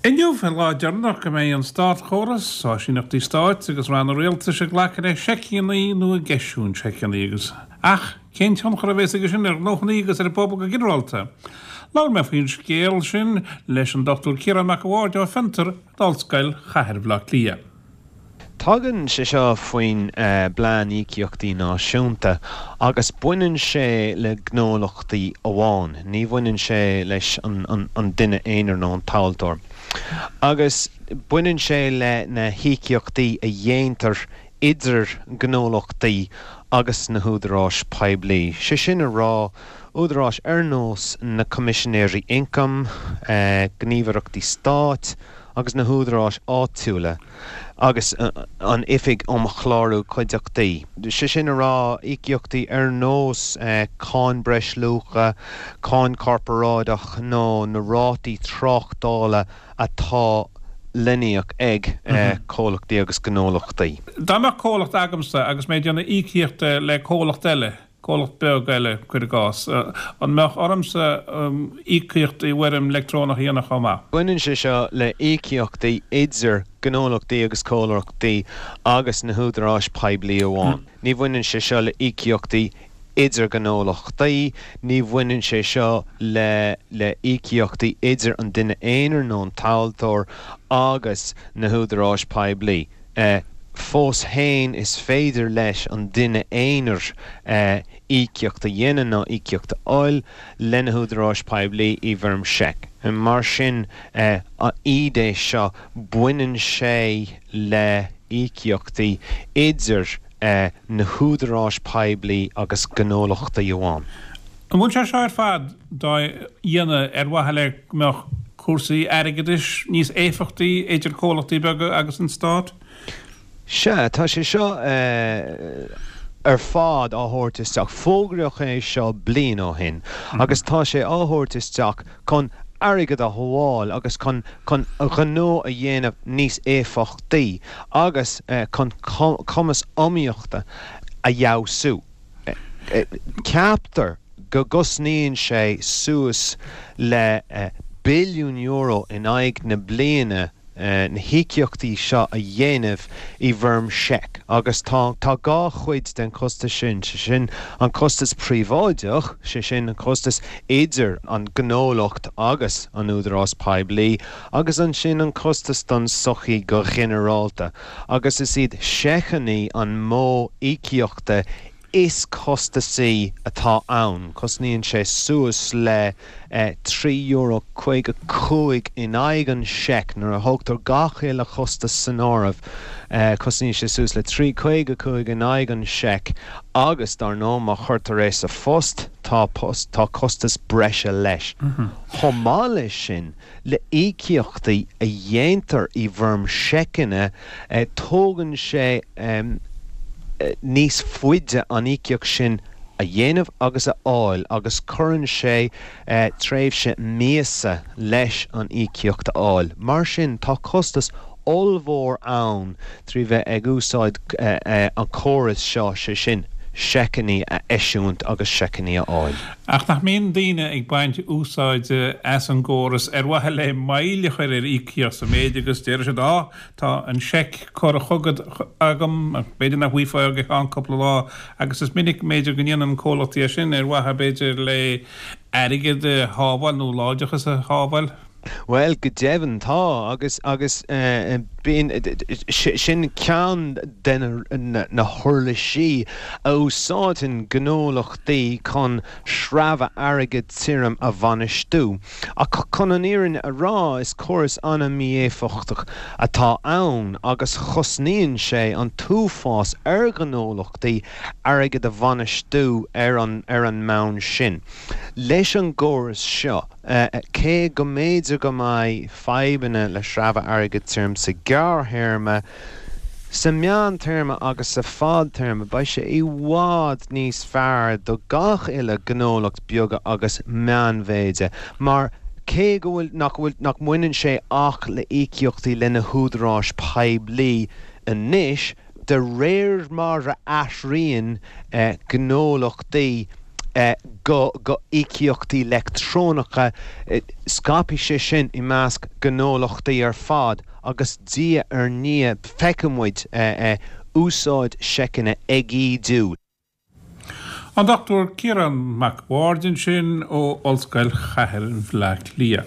Inniu an lá deireanach go mbeidh an státchóras, áisíneachtaí stáit agus ranna rialtais ag glacadh le seiceanna nó ag eisiúint seiceanna agus ach cén tionchar a bheas aige sin ar ghnóthanna agus ar an bpobal go ginearálta? Labhair mé faoin scéal sin leis an Dr Ciarán Mac a' Bhaird ó Fiontar in Ollscoil Chathair Bhaile Átha Cliath. Tagann sé seo faoin bPlean Íocaíochtaí Náisiúnta agus baineann sé le gnólachtaí amháin, ní bhaineann sé leis an duine aonair nó an tomhaltóir. Agus baineann sé le na híocaíochtaí a dhéantar idir gnólachtaí agus na húdaráis poiblí, sé sin a rá, údaráis ar nós na Coimisinéirí Ioncaim, gníomhaireachtaí stáit, agus na húdaráis áitiúla agus an Oifig um Chlárú Cuideachtaí, sé sin a rá, íocaíochtaí ar nós cáin breisluacha, cáin chorparáideach nó na rátaí tráchtála atá le n-íoc ag comhlachtaí agus gnólachtaí. Dá mbeadh comhlacht agamsa agus mé ag déanamh íocaíochta le comhlacht eile, comhlacht beag eile, cuir i gcás, an mbeadh ormsa íocaíocht i bhfoirm leictreonach a dhéanamh chomh maith? Baineann sé seo le íocaíochtaí idir gnólachtaí agus comhlachtaí agus na húdaráis poiblí amháin. Ní bhaineann sé seo le íocaíochtaí idir gnólachtaí, ní bhaineann sé seo le le íocaíochtaí idir an duine aonair nó an tomhaltóir agus na húdaráis poiblí. Fós féin, is féidir leis an duine aonair íocaíocht a dhéanamh nó íocaíocht a fháil le na húdaráis poiblí i bhfoirm seic. Mar sin, an idé seo, baineann sé le íocaíochtaí idir na húdaráis poiblí agus gnólachtaí amháin. An bhfuil sé seo ar fad dá dhéanamh ar mhaithe le go mbeadh cúrsaí airgeadais níos éifeachtaí idir comhlachtaí beaga agus an Stát? Sea, tá sé seo ar fad á thabhairt isteach. Fógraíodh é seo bliain ó shin agus tá sé á thabhairt isteach chun airgead a shábháil agus chun chun gnó a dhéanamh níos éifeachtaí agus chun cumas iomaíochta a fheabhsú. Ceaptar go gcosnaíonn sé suas le billiún euro in aghaidh na bliana na híocaíochtaí seo a dhéanamh i bhfoirm seic agus tá tá dhá chuid den chostas sin, sé sin an costas príobháideach, sé sin an costas idir an gnólacht agus an údarás poiblí agus ansin an costas don tsochaí go ginearálta. agus is iad seiceanna an modh íocaíochta is costasaí atá ann. Cosnaíonn sé suas le €3.55 in aghaidh an seic nuair a thógtar gach uile chostas san áireamh. Cosnaíonn sé suas le €3.55 in aghaidh an seic agus, dar ndóigh, má chuirtear é sa phost, tá tá costas breise leis. Chomh maith leis sin, Le íocaíochtaí a dhéantar i bhfoirm seiceanna, tógann sé níos faide an íocaíocht sin a dhéanamh agus a fháil agus cuireann sé tréimhse míosa leis an íocaíocht a fháil. Mar sin, tá costas ollmhór ann trí bheith ag úsáid an chórais seo, sé sin, seiceanna a eisiúint agus seiceanna a fháil. Ach nach mbíonn daoine ag baint úsáide as an gcóras ar mhaithe le moill a chur ar íocaíocht sa mhéid agus deir siad á, tá an seic curtha chugat agam, b'fhéidir nach bhfaighfeá go ceann cúpla lá agus is minic b'fhéidir go ndéanann comhlachtaí é sin ar mhaithe b'fhéidir le airgead a shábháil nó láimhdeachas a shábháil. Bhuel, go deimhin tá, agus, agus bíonn, sin ceann de na huirlisí a úsáideann gnólachtaí chun sreabhadh airgid tirim a bhainistiú. Ach chun an fhírinne a rá, is córas an-mhí-éifeachtach atá ann agus cosnaíonn sé an t-uafás ar ghnólachtaí airgead a bhainistiú ar an, ar an mbonn sin. Leis an gcóras seo, Cé go mb'fhéidir go mbeidh fadhbanna le sreabhadh airgid tirim sa ghearrthéarma, sa mheántéarma agus sa fadtéarma, beidh sé i bhfad níos fearr do gach uile ghnólacht beaga agus meánmhéide mar cé go bhfuil nach bhfuil nach mbaineann sé ach le íocaíochtaí le na húdaráis poiblí anois, de réir mar a athraíonn gnólachtaí. Go go íocaíochtaí leictreonacha, scaipfidh sé sin i measc gnólachtaí ar fad agus diaidh ar ndiaidh feicfidh muid úsáid seiceanna ag ídiú. An Dr Ciarán Mac Bhaird ansin ó Ollscoil Chathair Bhaile Átha Cliath.